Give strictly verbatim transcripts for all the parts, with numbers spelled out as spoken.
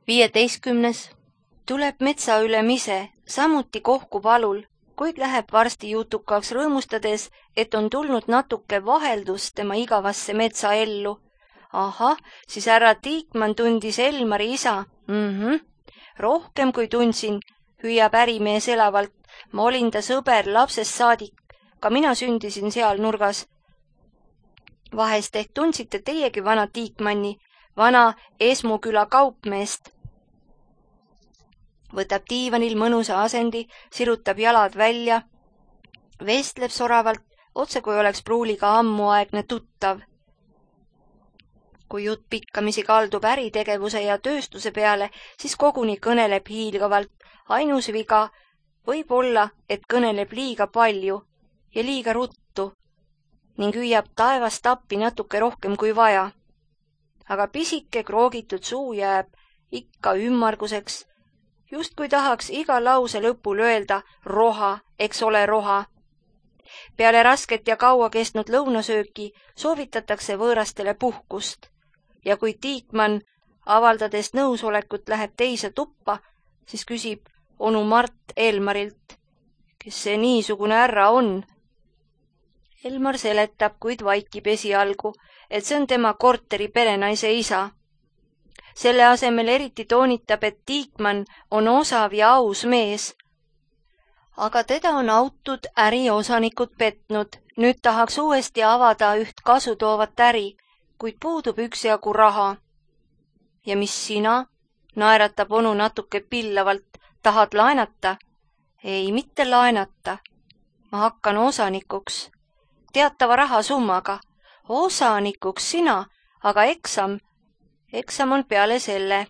viieteistkümnes. Tuleb metsa ülemise, samuti kohkub alul, kuid läheb varsti jutukaks rõõmustades, et on tulnud natuke vaheldus tema igavasse metsaellu. Ahah, siis härra Tiikmann tundis Elmari isa. Mhm. Rohkem kui tundsin, hüüab ärimees elavalt. Ma olin ta sõber lapsest saadik. Ka mina sündisin seal nurgas. Vahest ehk tundsite teiegi vana Tiikmanni, vana Esmuküla kaupmeest. Võtab diivanil mõnusa asendi, sirutab jalad välja, vestleb soravalt, otse kui oleks pruuliga ammuaegne tuttav. Kui jutt pikkamisi kaldub äritegevuse ja tööstuse peale, siis koguni kõneleb hiilgavalt. Ainus viga võib olla, et kõneleb liiga palju ja liiga ruttu ning hüüab taevast appi natuke rohkem kui vaja. Aga pisike kroogitud suu jääb ikka ümmarguseks, just kui tahaks iga lause lõpul öelda roha, eks ole roha. Peale rasket ja kaua kestnud lõunasööki soovitatakse võõrastele puhkust ja kui Tiikmann avaldades nõusolekut läheb teise tuppa, siis küsib onu Mart Elmarilt, kes see niisugune härra on. Elmar seletab, kuid vaikib esialgu, et see on tema korteri perenaise isa. Selle asemel eriti toonitab, et Tiikmann on osav ja aus mees. Aga teda on autud äriosanikud petnud. Nüüd tahaks uuesti avada üht kasu toovat äri, kuid puudub üksjagu raha. Ja mis sina? Naeratab onu natuke pillavalt. Tahad laenata? Ei, mitte laenata. Ma hakkan osanikuks. Teatava rahasummaga. Osanikuks sina, aga eksam. Eksam on peale selle.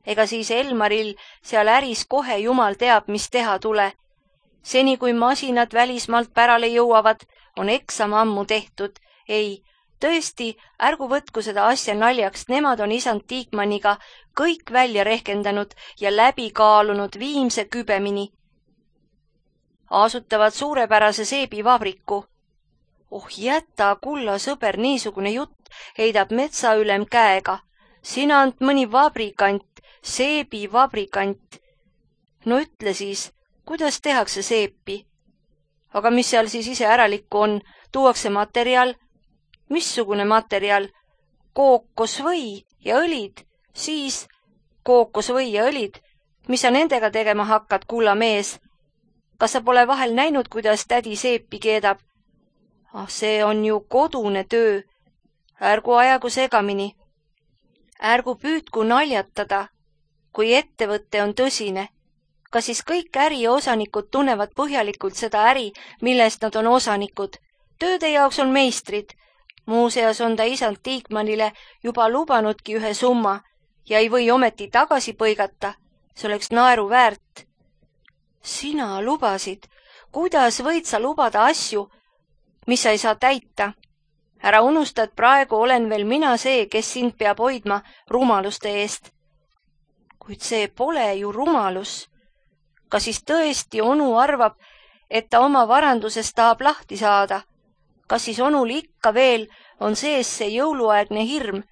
Ega siis Elmaril seal äris kohe jumal teab, mis teha tule. Seni kui masinad välismaalt pärale jõuavad, on eksam ammu tehtud. Ei, tõesti, ärgu võtku seda asja naljaks, nemad on isand Tiikmanniga kõik välja rehkendanud ja läbi kaalunud viimse kübemini. Asutavad suurepärase seebivabriku. Oh jäta, kulla sõber, niisugune jutt, heidab metsaülem käega. Sina ant mõni vabrikant, seebivabrikant. No ütle siis, kuidas tehakse seepi? Aga mis seal siis ise äralikku on? Tuuakse materjal? Missugune materjal? Kookosvõi ja õlid. Siis kookosvõi ja õlid. Mis sa nendega tegema hakkad, kulla mees? Kas sa pole vahel näinud, kuidas tädi seepi keedab? Ah, see on ju kodune töö. Ärgu ajagu segamini. Ärgu püüdku naljatada, kui ettevõtte on tõsine. Kas siis kõik äriosanikud tunnevad põhjalikult seda äri, millest nad on osanikud? Tööde jaoks on meistrid. Muuseas on ta isand Tiikmannile juba lubanudki ühe summa ja ei või ometi tagasi põigata. See oleks naeru väärt. Sina lubasid. Kuidas võid sa lubada asju, mis sa ei saa täita? Ära unusta, et praegu olen veel mina see, kes sind peab hoidma rumaluste eest. Kuid see pole ju rumalus. Kas siis tõesti onu arvab, et ta oma varandusest tahab lahti saada? Kas siis onul ikka veel on sees see jõuluaegne hirm,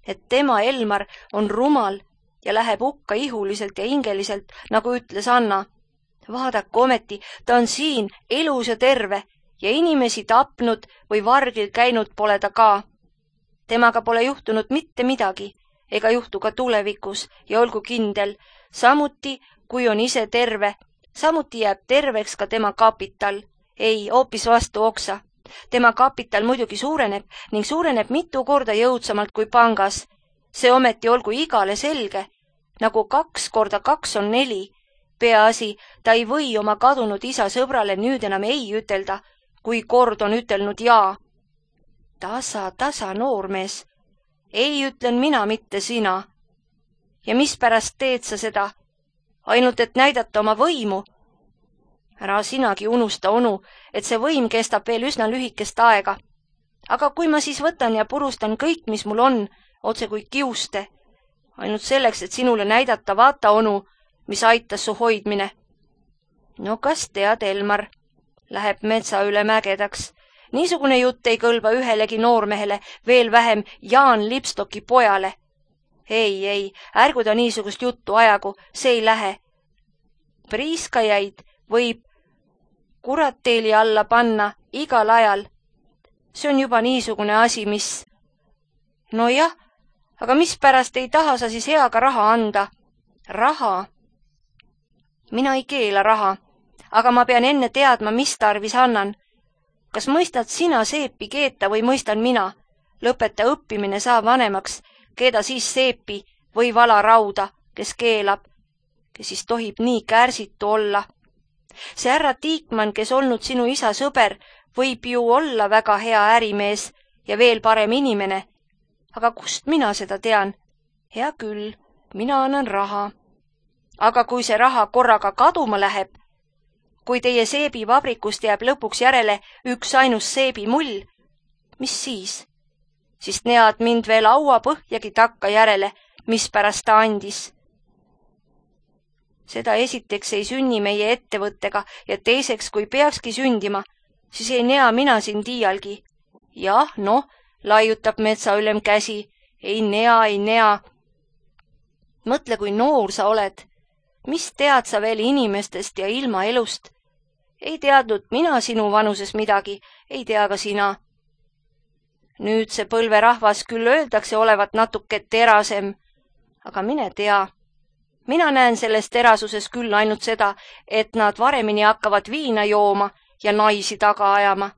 et tema Elmar on rumal ja läheb hukka ihuliselt ja hingeliselt, nagu ütles Anna? Vaadaku ometi, ta on siin elus ja terve ja inimesi tapnud või vargil käinud pole ta ka. Temaga pole juhtunud mitte midagi, ega juhtu ka tulevikus ja olgu kindel, samuti kui on ise terve, samuti jääb terveks ka tema kapital. Ei, hoopis vastu oksa. Tema kapital muidugi suureneb ning suureneb mitu korda jõudsamalt kui pangas. See ometi olgu igale selge, nagu kaks korda kaks on neli. Peaasi, ta ei või oma kadunud isa sõbrale nüüd enam ei ütelda, kui kord on ütelnud jaa. Tasa, tasa, noormees. Ei ütlen mina, mitte sina. Ja mispärast teed sa seda? Ainult, et näidata oma võimu. Ära sinagi unusta, onu, et see võim kestab veel üsna lühikest aega. Aga kui ma siis võtan ja purustan kõik, mis mul on, otse kui kiuste, ainult selleks, et sinule näidata, vaata, onu, mis aitas su hoidmine. No kas tead, Elmar, läheb metsa üle mägedaks. Niisugune jutt ei kõlba ühelegi noormehele, veel vähem Jaan Lipstoki pojale. ei, ei, ärgu ta niisugust juttu ajagu, see ei lähe. Priiskajaid võib kuratteeli alla panna igal ajal. See on juba niisugune asi, mis... No jah, aga mispärast ei taha sa siis heaga raha anda? Raha? Mina ei keela raha, aga ma pean enne teadma, mis tarvis annan. Kas mõistad sina seepi keeta või mõistan mina? Lõpeta õppimine saa vanemaks, keeda siis seepi või vala rauda, kes keelab, kes siis tohib nii kärsitu olla. See härra Tiikmann, kes olnud sinu isa sõber, võib ju olla väga hea ärimees ja veel parem inimene. Aga kust mina seda tean? Hea küll, mina annan raha. Aga kui see raha korraga kaduma läheb, kui teie seebivabrikust jääb lõpuks järele üks ainus seebimull, mis siis? Siis nead mind veel aua põhjagi takka järele, mispärast ta andis. Seda esiteks ei sünni meie ettevõttega ja teiseks, kui peakski sündima, siis ei nea mina siin tiialgi. Jah, noh, laiutab metsaülem käsi. Ei nea, ei nea. Mõtle, kui noor sa oled. Mis tead sa veel inimestest ja ilma elust? Ei teadnud mina sinu vanuses midagi, ei tea ka sina. Nüüd see põlverahvas küll öeldakse olevat natuke terasem, aga mine tea. Mina näen sellest terasuses küll ainult seda, et nad varemini hakkavad viina jooma ja naisi taga ajama.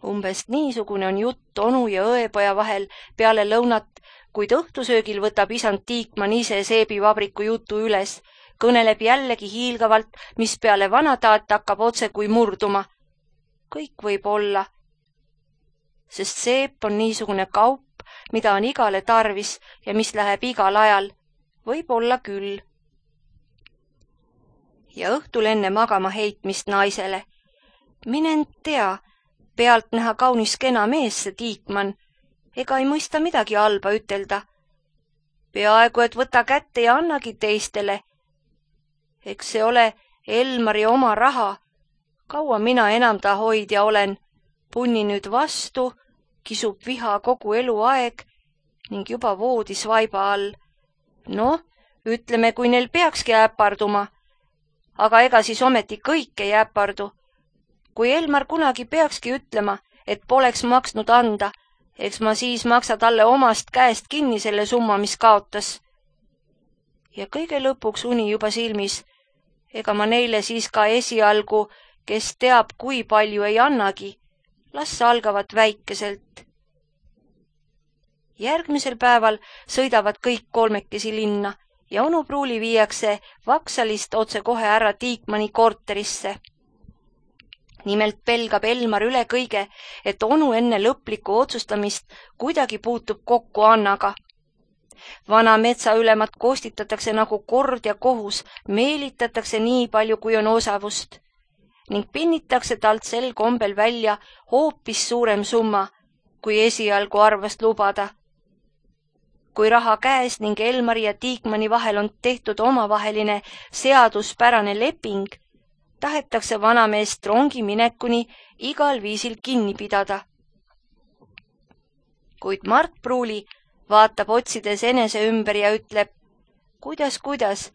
Umbes niisugune on jutt onu ja õepoja vahel peale lõunat, kuid õhtusöögil võtab isand Tiikmann ise seebivabriku jutu üles, kõneleb jällegi hiilgavalt, mis peale vanataat hakkab otse kui murduma. Kõik võib olla, sest seep on niisugune kaup, mida on igale tarvis ja mis läheb igal ajal. Võib olla küll. Ja õhtul enne magama heitmist naisele. Minen tea, pealt näha kaunis kena mees see Tiikmann, ega ei mõista midagi halba ütelda. Peaaegu, et võta kätte ja annagi teistele. Eks see ole Elmari oma raha. Kaua mina enam ta hoidja olen. Punni nüüd vastu, kisub viha kogu eluaeg ning juba voodis vaiba all. Noh, ütleme, kui neil peakski äpparduma. Aga ega siis ometi kõik ei äppardu. Kui Elmar kunagi peakski ütlema, et poleks maksnud anda, eks ma siis maksa talle omast käest kinni selle summa, mis kaotas. Ja kõige lõpuks uni juba silmis. Ega ma neile siis ka esialgu, kes teab, kui palju ei annagi. Las algavad väikeselt. Järgmisel päeval sõidavad kõik kolmekesi linna ja onu Pruuli viiakse Vaksalist otse kohe härra Tiikmanni korterisse. Nimelt pelgab Elmar üle kõige, et onu enne lõplikku otsustamist kuidagi puutub kokku Annaga. Vana metsaülemat koostitatakse nagu kord ja kohus, meelitatakse nii palju, kui on osavust ning pinnitakse talt sel kombel välja hoopis suurem summa, kui esialgu arvast lubada. Kui raha käes ning Elmari ja Tiikmanni vahel on tehtud omavaheline seaduspärane leping, tahetakse vanameest rongi minekuni igal viisil kinni pidada. Kuid Mart Pruuli vaatab otsides enese ümber ja ütleb, kuidas, kuidas,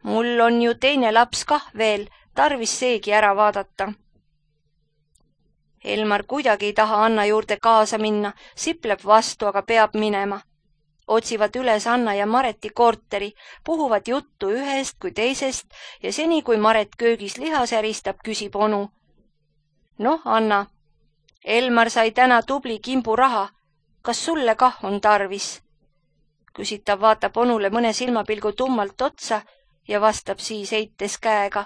mul on ju teine laps kah veel, tarvis seegi ära vaadata. Elmar kuidagi ei taha Anna juurde kaasa minna, sipleb vastu, aga peab minema. Otsivad üles Anna ja Mareti korteri, puhuvad juttu ühest kui teisest ja seni, kui Maret köögis liha säristab, küsib onu. Noh, Anna, Elmar sai täna tubli kimbu raha. Kas sulle kah on tarvis? Küsitav vaatab onule mõne silmapilgu tummalt otsa ja vastab siis heites käega.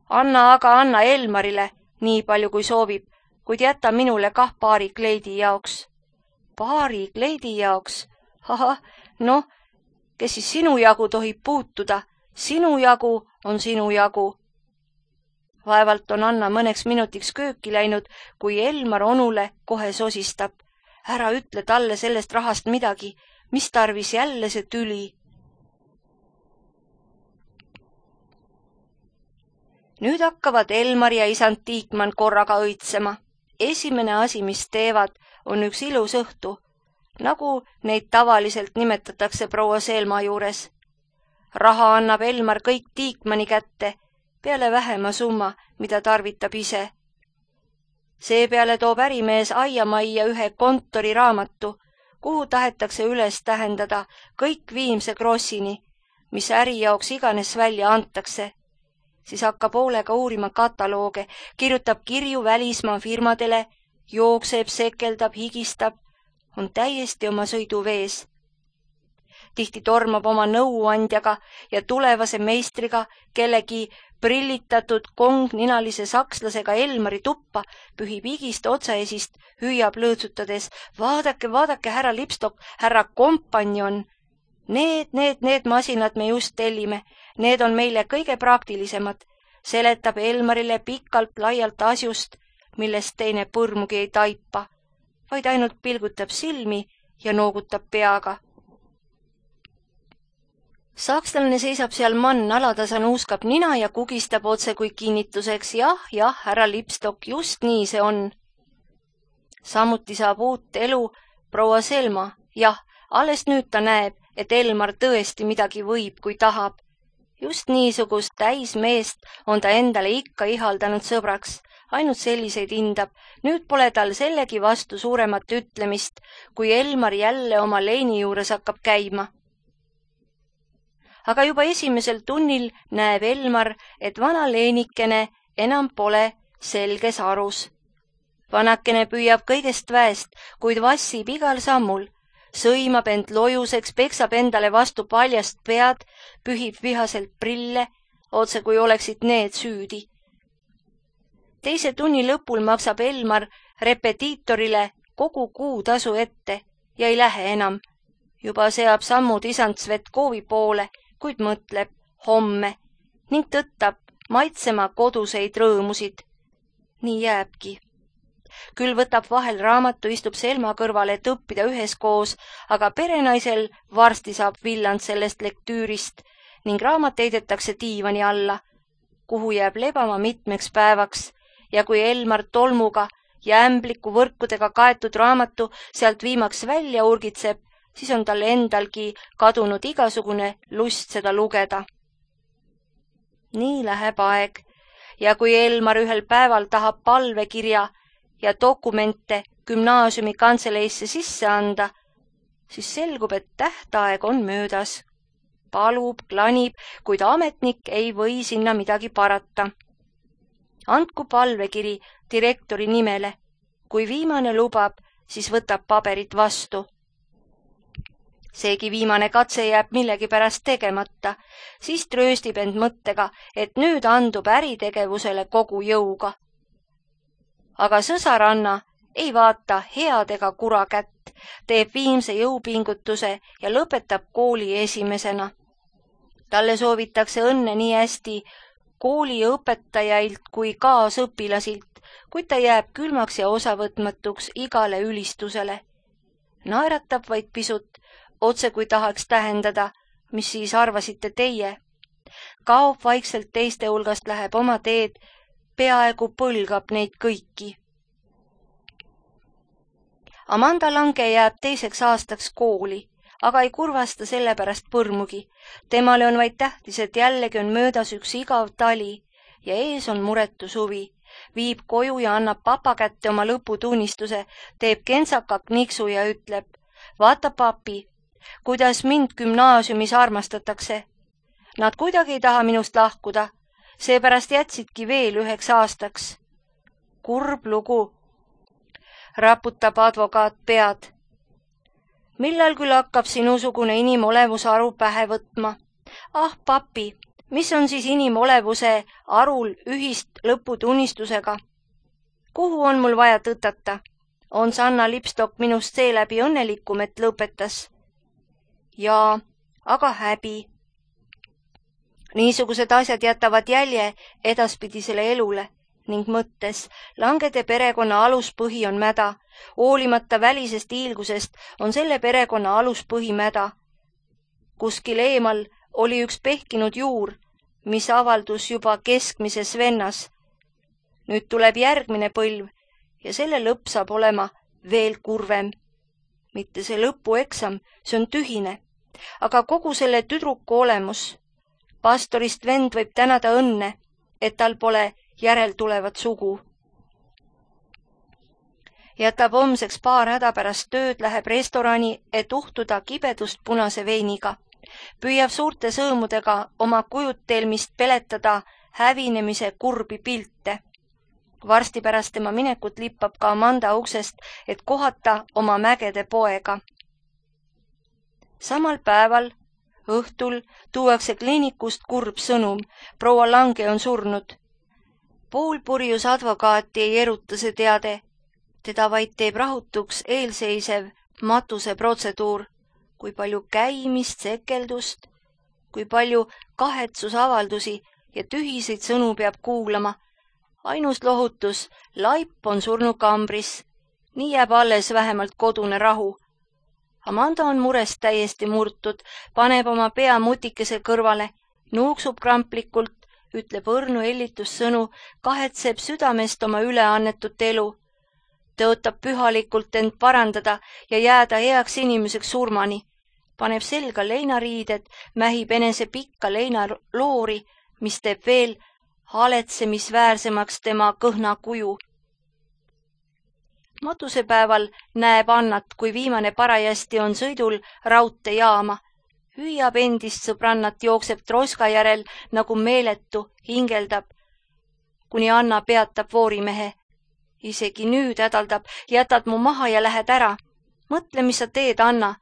Anna aga anna Elmarile, nii palju kui soovib, kuid jäta minule kah paari kleidi jaoks. Paari kleidi jaoks? Ahah, noh, kes siis sinu jagu tohib puutuda? Sinu jagu on sinu jagu. Vaevalt on Anna mõneks minutiks kööki läinud, kui Elmar onule kohe sosistab. Ära ütle talle sellest rahast midagi, mis tarvis jälle see tüli. Nüüd hakkavad Elmar ja isand Tiikmann korraga õitsema. Esimene asi, mis teevad, on üks ilus õhtu. nagu neid tavaliselt nimetatakse proua Selma juures. Raha annab Elmar kõik Tiikmani kätte, peale vähema summa, mida tarvitab ise. Seepeale toob ärimees aiamajja ühe kontoriraamatu, kuhu tahetakse üles tähendada kõik Viimse Krossini, mis äri jaoks iganes välja antakse. Siis hakkab hoolega uurima katalooge, kirjutab kirju välismaa firmadele, jookseb, sekeldab, higistab, on täiesti oma sõidu vees. Tihti tormab oma nõuandjaga ja tulevase meistriga kellegi prillitatud kongninalise sakslasega Elmari tuppa, pühib higist otsaesist, hüüab lõõtsutades: vaadake, vaadake, härra Lipstok, härra kompanjon. Need, need, need masinad me just tellime, need on meile kõige praktilisemad, seletab Elmarile pikalt laialt asjust, millest teine põrmugi ei taipa, vaid ainult pilgutab silmi ja noogutab peaga. Sakslane seisab seal mann, alatasa nuuskab nina ja kugistab otse kui kinnituseks: jah, jah, härra Lipstok, just nii see on. Samuti saab uut elu proua Selma, jah, alles nüüd ta näeb, et Elmar tõesti midagi võib, kui tahab. Just niisugust täismeest on ta endale ikka ihaldanud sõbraks, ainult selliseid hindab. Nüüd pole tal sellegi vastu suuremat ütlemist, kui Elmar jälle oma leini juures hakkab käima. Aga juba esimesel tunnil näeb Elmar, et vana leenikene enam pole selges arus. Vanakene püüab kõigest väest, kuid vassib igal sammul, sõimab end lojuseks, peksab endale vastu paljast pead, pühib vihaselt prille, otse kui oleksid need süüdi. Teise tunni lõpul maksab Elmar repetiitorile kogu kuutasu ette ja ei lähe enam. Juba seab sammud isand Svetkovi poole, kuid mõtleb homme ning tõttab maitsema koduseid rõõmusid. Nii jääbki. Küll võtab vahel raamatu, istub Selma kõrvale, et õppida üheskoos, aga perenaisel varsti saab villand sellest lektüürist ning raamat heidetakse diivani alla, kuhu jääb lebama mitmeks päevaks, ja kui Elmar tolmuga ja ämbliku võrkudega kaetud raamatu sealt viimaks välja urgitseb, siis on tal endalgi kadunud igasugune lust seda lugeda. Nii läheb aeg, ja kui Elmar ühel päeval tahab palvekirja ja dokumente gümnaasiumi kantseleisse sisse anda, siis selgub, et tähtaeg on möödas. Palub, klanib, kuid ametnik ei või sinna midagi parata. Andku palvekiri direktori nimele. Kui viimane lubab, siis võtab paberit vastu. Seegi viimane katse jääb millegipärast tegemata, siis trööstib end mõttega, et nüüd andub äritegevusele kogu jõuga. Aga sõsaranna ei vaata head ega kura kätt, teeb viimse jõupingutuse ja lõpetab kooli esimesena. Talle soovitakse õnne nii hästi kooliõpetajailt kui kaasõpilasilt, kuid ta jääb külmaks ja osavõtmatuks igale ülistusele. Naeratab vaid pisut, otse kui tahaks tähendada, mis siis arvasite teie. Kaob vaikselt teiste hulgast, läheb oma teed, peaaegu põlgab neid kõiki. Amanda Lange jääb teiseks aastaks kooli, aga ei kurvasta selle pärast põrmugi. Temale on vaid tähtis, et jällegi on möödas üks igav tali ja ees on muretu suvi. Viib koju ja annab papa kätte oma lõputunnistuse, teeb kentsaka kniksu ja ütleb: vaata, papi, kuidas mind gümnaasiumis armastatakse. Nad kuidagi ei taha minust lahkuda, seepärast jätsidki veel üheks aastaks. Kurb lugu, raputab advokaat pead. Millal küll hakkab sinusugune inimolevuse aru pähe võtma? Ah, papi, mis on siis inimolevuse arul ühist lõputunnistusega? Kuhu on mul vaja tõtata? On Sanna Lipstok minust seeläbi õnnelikum, et lõpetas? Jaa, aga häbi. Niisugused asjad jätavad jälje edaspidisele elule ning mõttes Langede perekonna aluspõhi on mäda. Hoolimata välisest hiilgusest on selle perekonna aluspõhi mäda. Kuskil eemal oli üks pehkinud juur, mis avaldus juba keskmises vennas. Nüüd tuleb järgmine põlv ja selle lõpp saab olema veel kurvem. mitte see lõpueksam, see on tühine. Aga kogu selle tüdruku olemus. Pastorist vend võib tänada õnne, et tal pole järeltulevat sugu. Jätab homseks paar häda pärast tööd, läheb restorani, et uhtuda kibedust punase veiniga. Püüab suurte sõõmudega oma kujutelmist peletada hävinemise kurbi pilte. Varsti pärast tema minekut lippab ka Amanda uksest, et kohata oma mägede poega. Samal päeval, õhtul, tuuakse kliinikust kurb sõnum. Proua Lange on surnud. Poolpurjus advokaati ei eruta see teade. Teda vaid teeb rahutuks eelseisev matuse protseduur. Kui palju käimist, sekeldust, kui palju kahetsusavaldusi ja tühiseid sõnu peab kuulama. Ainus lohutus, laip on surnud kambris. Nii jääb alles vähemalt kodune rahu. Amanda on murest täiesti murtud, paneb oma pea mutikese kõrvale, nuuksub kramplikult, ütleb õrnu ellitussõnu, kahetseb südamest oma üleannetut elu. Tõotab pühalikult end parandada ja jääda heaks inimeseks surmani. Paneb selga leinariided, mähib enese pikka leinaloori, mis teeb veel haletsemisväärsemaks tema kõhna kuju. Matusepäeval näeb Annat, kui viimane parajasti on sõidul raudtejaama. Hüüab endist sõbrannat, jookseb troska järel nagu meeletu, hingeldab, kuni Anna peatab voorimehe. Isegi nüüd hädaldab, jätad mu maha ja lähed ära. Mõtle, mis sa teed, Anna.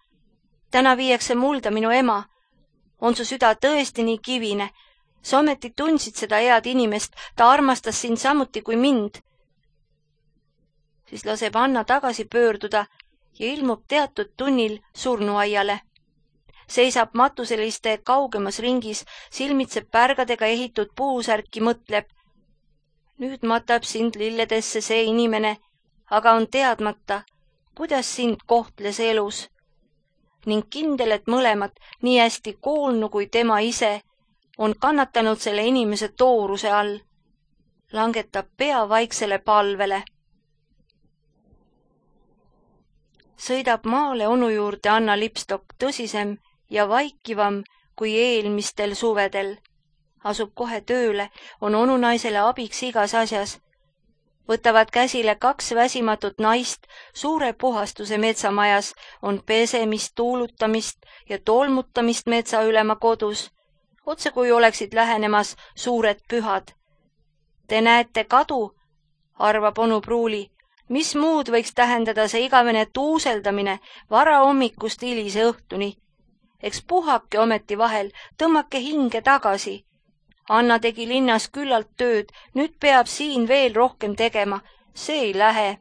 Täna viiakse mulda minu ema. On su süda tõesti nii kivine? Sa ometi tundsid seda head inimest, ta armastas sind samuti kui mind. Siis laseb Anna tagasi pöörduda ja ilmub teatud tunnil surnuaiale. Seisab matuseliste kaugemas ringis, silmitseb pärgadega ehitud puusärki, mõtleb. Nüüd matab sind lilledesse see inimene, aga on teadmata, kuidas sind kohtles elus. Ning kindel, et mõlemad, nii hästi koolnu kui tema ise, on kannatanud selle inimese tooruse all. Langetab pea vaiksele palvele. Sõidab maale onu juurde Anna Lipstok, tõsisem ja vaikivam kui eelmistel suvedel. Asub kohe tööle, on onu naisele abiks igas asjas. Võtavad käsile kaks väsimatut naist, suure puhastuse metsamajas, on pesemist, tuulutamist ja tolmutamist metsaülema kodus. Otse kui oleksid lähenemas suured pühad. Te näete kadu, arvab onu Pruuli. Mis muud võiks tähendada see igavene tuuseldamine vara hommikust hilise õhtuni? Eks puhake ometi vahel, tõmmake hinge tagasi. Anna tegi linnas küllalt tööd, nüüd peab siin veel rohkem tegema. See ei lähe.